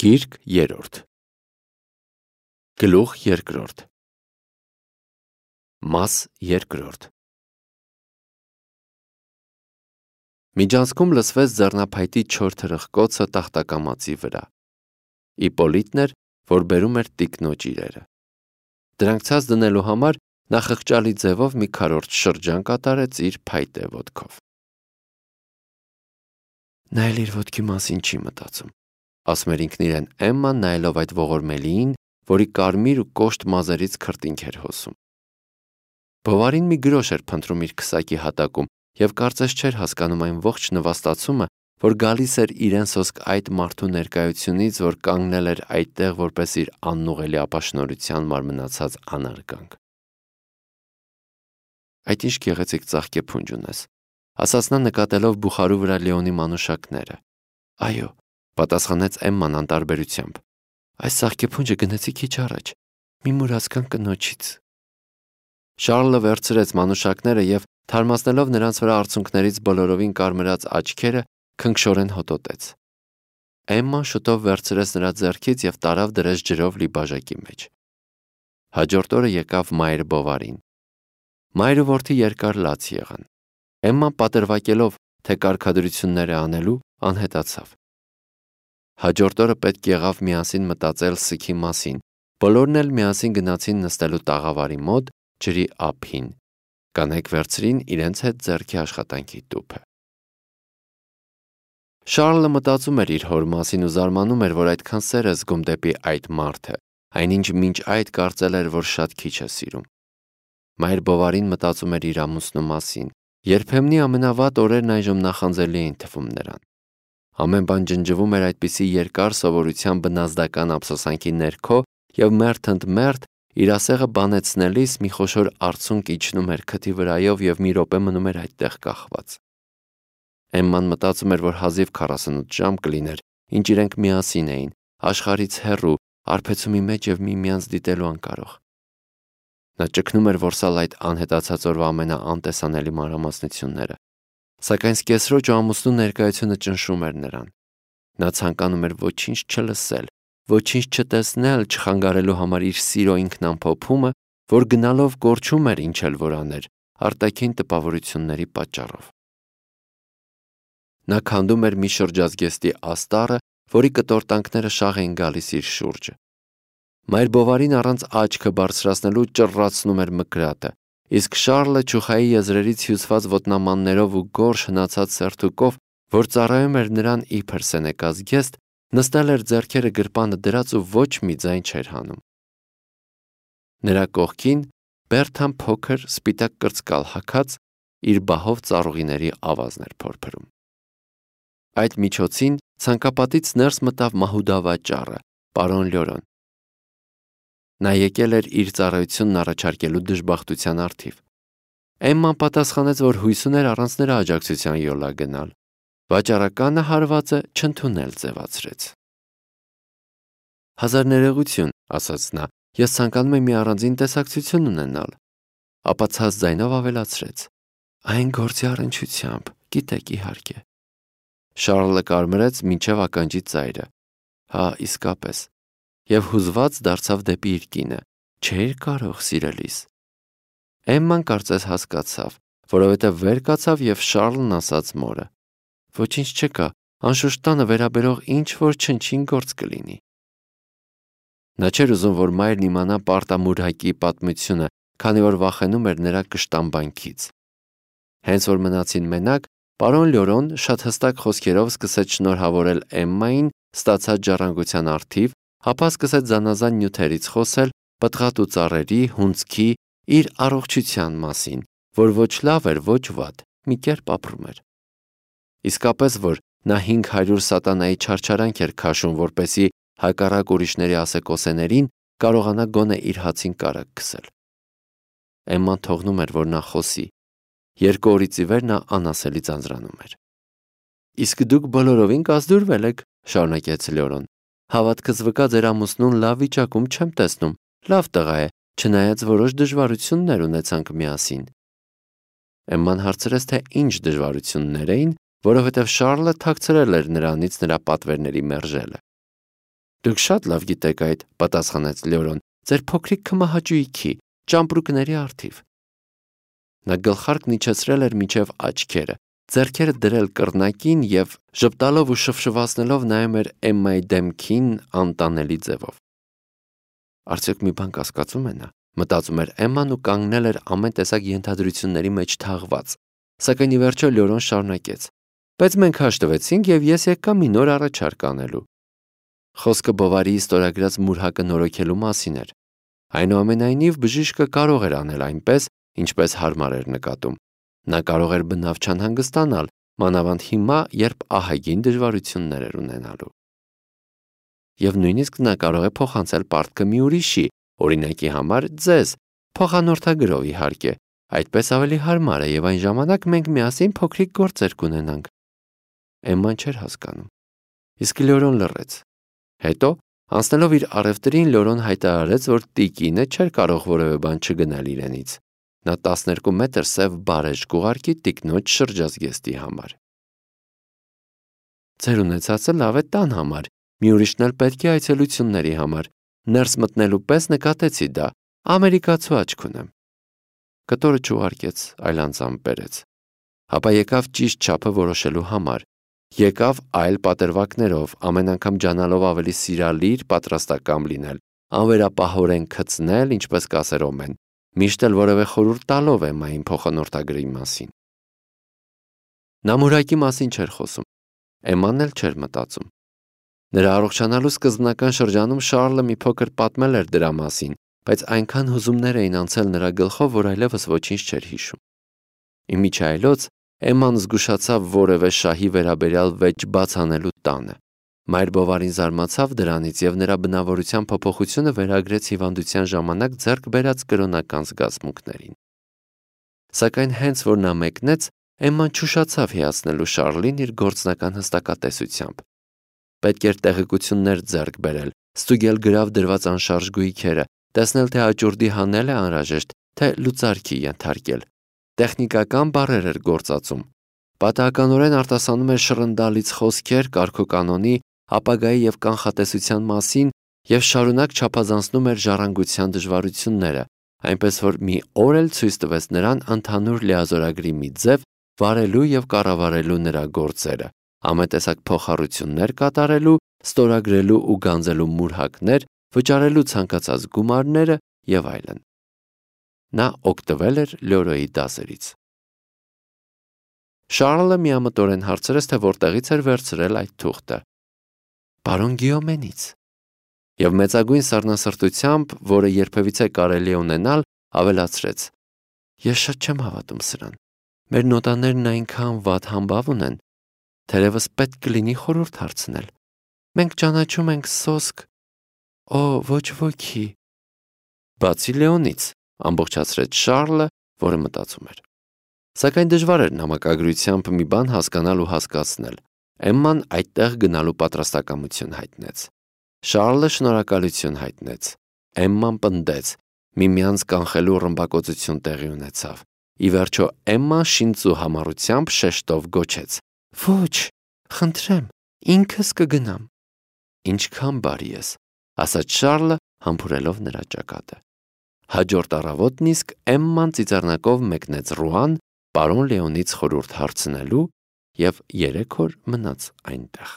Գիրք երրորդ Գլուխ երկրորդ Մաս երկրորդ Միջանցքում լսվեց ձեռնափայտի չոր թրխկոցը տախտակամածի վրա։ Իպոլիտն էր, որ բերում էր տիկնոջ իրերը։ Դրանք ցած դնելու համար նա խղճալի ձևով մի քառորդ շրջան կատարեց իր փայտե ոտքով։ Նա էլ իր ոտքի մասին չի մտածում, ասում էր ինքն իրեն Էմման, նայելով այդ ողորմելիին, որի կարմիր ու կոշտ մազերից քրտինք էր հոսում։ Բովարին մի գրոշ էր փնտրում իր քսակի հատակում և կարծես չէր հասկանում այն ողջ նվաստացումը, որ գալիս էր իրեն սոսկ այդ մարդու ներկայությունից, որ կանգնել էր այդտեղ որպես իր անուղելի ապաշնորհության մարմնացած անարգանք։ Այդ ինչ գեղեցիկ ծաղկեփունջ ունես, ասաց նա նկատելով բուխարու վրա Լեոնի մանուշակները։ Այո, պատասխանեց Էմման անտարբերությամբ։ Այս ծաղկեփունջը գնեցի քիչ առաջ, մի մուրացկան կնոջից։ Շառլը վերցրեց մանուշակները և, թարմացնելով նրանց վրա արցունքներից բոլորովին կարմրած աչքերը, քնքշորեն հոտոտեց։ Էմման շուտով վերցրեց նրա ձեռքից և տարավ դրեց ջրով լի բաժակի մեջ։ Հաջորդ օրը եկավ Մայր Բովարին։ Մայր ու որդի երկար լաց եղան։ Էմման պատրվակելով, թե կարգադրություններ է անելու, անհետացավ։ Հաջորդ օրը պետք եղավ միասին մտածել սգի մասին։ Բոլորն էլ միասին գնացին նստելու տաղավարի մոտ, ջրի ափին։ Կանայք վերցրին իրենց հետ ձեռքի աշխատանքի տուփը։ Շառլը մտածում էր իր հոր մասին ու զարմանում էր, որ այդքան սեր է զգում դեպի այդ մարդը, այնինչ մինչ այդ կարծել էր, որ շատ քիչ է սիրում։ Մայր Բովարին մտածում էր իր ամուսնու մասին։ Երբեմնի ամենավատ օրերն այժմ նախանձելի էին թվում նրան։ Ամեն բան ջնջվում էր այդպիսի երկար սովորության բնազդական ափսոսանքի ներքո և մերթ ընդ մերթ իր ասեղը բանեցնելիս մի խոշոր արցունք իջնում էր քթի վրայով և մի րոպե մնում էր այդտեղ կախված։ Էմման մտածում էր, որ հազիվ 48 ժամ կլիներ, ինչ իրենք միասին էին, աշխարհից հեռու, արբեցումի մեջ և միմյանց դիտելու անկարող։ Նա ճգնում էր որսալ այդ անհետացած օրվա ամենաանտեսանելի մանրամասնությունները, սակայն սկեսրոջ ու ամուսնու ներկայությունը ճնշում էր նրան։ Նա ցանկանում էր ոչինչ չլսել, ոչինչ չտեսնել, չխանգարելու համար իր սիրո ինքնամփոփումը, որ գնալով կորչում էր ինչ էլ որ աներ, արտաքին տպավորությունների պատճառով։ Նա քանդում էր մի շրջազգեստի աստառը, որի կտորտանքները շաղ էին գալիս իր շուրջը։ Մայր Բովարին առանց աչքը բարձրացնելու ճռռացնում էր մկրատը, իսկ Շառլը ճուխայի եզրերից հյուսված ոտնամաններով ու գորշ հնացած սերթուկով, որ ծառայում էր նրան իբր սենեկած գեստ, նստել էր ձեռքերը գրպանը դրած ու ոչ մի ձայն չէր հանում։ Նրա կողքին Բերթան փոքր սպիտակ կրծկալ հագած իր բահով ծառուղիների ավազն էր փորփրում։ Այդ միջոցին ցանկապատից ներս մտավ մահուդավաճառը, պարոն Լյորոն։ Նա եկել էր իր ծառայությունն առաջարկելու դժբախտության առթիվ։ Էմման պատասխանեց, որ հույս ուներ առանց նրա աջակցության յոլա գնալ։ Վաճառականը հարվածը չընդունել ձևացրեց։ Հազար ներողություն, ասաց նա, ես ցանկանում եմ մի առանձին տեսակցություն ունենալ։ Ապա ցած ձայնով ավելացրեց. Այն գործի առնչությամբ, գիտեք իհարկե։ Շառլը կարմրեց մինչև ականջի ծայրը։ Հա, իսկապես։ Եվ հուզված դարձավ դեպի իր կինը. Չէր կարող, սիրելիս։ Էմման կարծես հասկացավ, որովհետև վեր կացավ և Շառլն ասաց մորը. Ոչինչ չկա, անշուշտ տանը վերաբերող ինչ-որ չնչին գործ կլինի։ Նա չէր ուզում, որ մայրն իմանա պարտամուրհակի պատմությունը, քանի որ վախենում էր նրա կշտամբանքից։ Հենց որ մնացին մենակ, պարոն Լյորոն շատ հստակ խոսքերով սկսեց շնորհավորել Էմմային ստացած ժառանգության առթիվ, ապա սկսեց զանազան նյութերից խոսել, պտղատու ծառերի, հունձքի, իր առողջության մասին, որ ոչ լավ էր, ոչ վատ, մի կերպ ապրում էր։ Իսկապես որ նա 500 սատանայի չարչարանք էր քաշում, որպեսզի հակառակ ուրիշների ասեկոսեներին կարողանա գոնե իր հացին կարակ քսել։ Էմման թողնում էր, որ նա խոսի։ 2 օրից ի վեր նա անասելի ձանձրանում էր։ Իսկ դուք բոլորովին կազդուրվել եք, շարունակեց Լյորոն։ Հավատքս վկա ձեր ամուսնուն լավ վիճակում չեմ տեսնում, լավ տղա է, չնայած որոշ դժվարություններ ունեցանք միասին։ Էմման հարցրեց, թե ինչ դժվարություններ էին, որովհետև Շառլը թաքցրել էր նրանից նրա պատվերների մերժելը։ Դուք շատ լավ գիտեք այդ, պատասխանեց Լեորոն, ձեր փոքրիկ քմահաճույքի, ճամպրուկների առթիվ։ Նա գլխարկն իջեցրել էր մինչև աչքերը, ձեռքերը դրել կռնակին և ժպտալով ու շվշվացնելով նայում էր Էմմայի դեմքին անտանելի ձևով։ Արդյոք մի բան կասկածում է նա, մտածում էր Էմման ու կանգնել էր ամեն տեսակ ենթադրությունների մեջ թաղված, սակայն ի վերջո Լեորոն շարունակեց. Բայց մենք հաշտվեցինք և ես եկա մի նոր առաջարկ անելու։ Խոսքը Բովարիի ստորագրած մուրհակը նորոգելու մասին էր։ Այնուամենայնիվ բժիշկը կարող էր անել այնպես, ինչպես հարմար էր նկատում։ Նա կարող էր բնավ չանհանգստանալ, մանավանդ հիմա, երբ ահագին դժվարություններ էր ունենալու։ Եվ նույնիսկ նա կարող է փոխանցել պարտքը մի ուրիշի, օրինակի համար ձեզ, փոխանորդագրով իհարկե, այդպես ավելի հարմար է և այն ժամանակ մենք միասին փոքրիկ գործեր կունենանք։ Էմման չէր հասկանում։ Իսկ Լեորոն լռեց։ Հետո, անցնելով իր առևտրին, Լեորոն հայտարարեց, որ տիկինը չէր կարող որևէ բան չգնել իրենից։ Նա 12 մետր սև բարեժ կուղարկի տիկնոջ շրջազգեստի համար։ Ձեր ունեցածը լավ է տան համար, մի ուրիշն էլ պետք է այցելությունների համար։ Ներս մտնելու պես նկատեցի դա, ամերիկացու աչք ունեմ։ Կտորը չուղարկեց, այլ անձամբ բերեց։ Ապա եկավ ճիշտ չափը որոշելու համար։ Եկավ այլ պատրվակներով, ամեն անգամ ջանալով ավելի սիրալիր, պատրաստակամ լինել, անվերապահորեն քծնել, ինչպես կասեր Օմեն, միշտ էլ որևէ խորհուրդ տալով Էմմային փոխանորդագրի մասին։ Նա մուրհակի մասին չէր խոսում։ Էմման էլ չէր մտածում։ Նրա առողջանալու սկզբնական շրջանում Շառլը մի փոքր պատմել էր դրա մասին, բայց այնքան հուզումներ էին անցել նրա գլխով, որ այլևս ոչինչ չէր հիշում։ Իմիջիայլոց Էմման զգուշացավ որևէ շահի վերաբերյալ վեճ բաց անելու տանը։ Մայր Բովարին զարմացավ դրանից և նրա բնավորության փոփոխությունը վերագրեց հիվանդության ժամանակ ձեռք բերած կրոնական զգացմունքներին։ Սակայն հենց որ նա մեկնեց, Էմման չուշացավ հիացնելու Շառլին իր գործնական հստակատեսությամբ։ Պետք էր տեղեկություններ ձեռք բերել, ստուգել գրավ դրված անշարժ գույքերը, տեսնել թե աճուրդի հանել է անհրաժեշտ, թե լուծարքի ենթարկել։ Տեխնիկական բառեր էր գործածում։ Պատահականորեն արտասանում էր շռնդալից խոսքեր կարգոկանոնի, ապագայի և կանխատեսության մասին և շարունակ չափազանցնում էր ժառանգության դժվարությունները, այնպես որ մի օր էլ ցույց տվեց նրան ընդհանուր լիազորագրի մի ձև վարելու և կառավարելու նրա գործերը, ամենտեսակ փոխառություններ կատարելու, ստորագրելու ու գանձելու մուրհակներ, վճարելու ցանկացած գումարները և այլն։ Նա օգտվել էր Լեորոյի դասերից։ Շառլը միամտորեն հարցրեց, թե որտեղից էր վերցրել այդ թուղթը։ Պարոն Գիոմենից։ Եվ մեծագույն սառնասրտությամբ, որը երբևիցե կարելի է ունենալ, ավելացրեց. Ես շատ չեմ հավատում սրան։ Մեր նոտաներն այնքան վատ համբավ ունեն, թերևս պետք կլինի խորհուրդ հարցնել։ Մենք ճանաչում ենք սոսկ։ Օ, ոչ ոքի։ Բացի Լեոնից, ամբողջացրեց Շառլը, որը մտածում էր։ Սակայն դժվար էր նամակագրությամբ մի բան հասկանալ ու հասկացնել։ Էմման այդտեղ գնալու պատրաստակամություն հայտնեց։ Շառլը շնորհակալություն հայտնեց։ Էմման պնդեց։ Միմյանց կանխելու ռմբակոծություն տեղի ունեցավ։ Ի վերջո Էմման շինծու համառությամբ շեշտով գոչեց. Ոչ, խնդրեմ, ինքս կգնամ։ Ինչքան բարի ես, ասաց Շառլը, համբուրելով նրա ճակատը։ Հաջորդ առավոտն իսկ Էմման ծիծեռնակով մեկնեց Ռուան, պարոն Լեոնից խորհուրդ հարցնելու և 3 օր մնաց այնտեղ։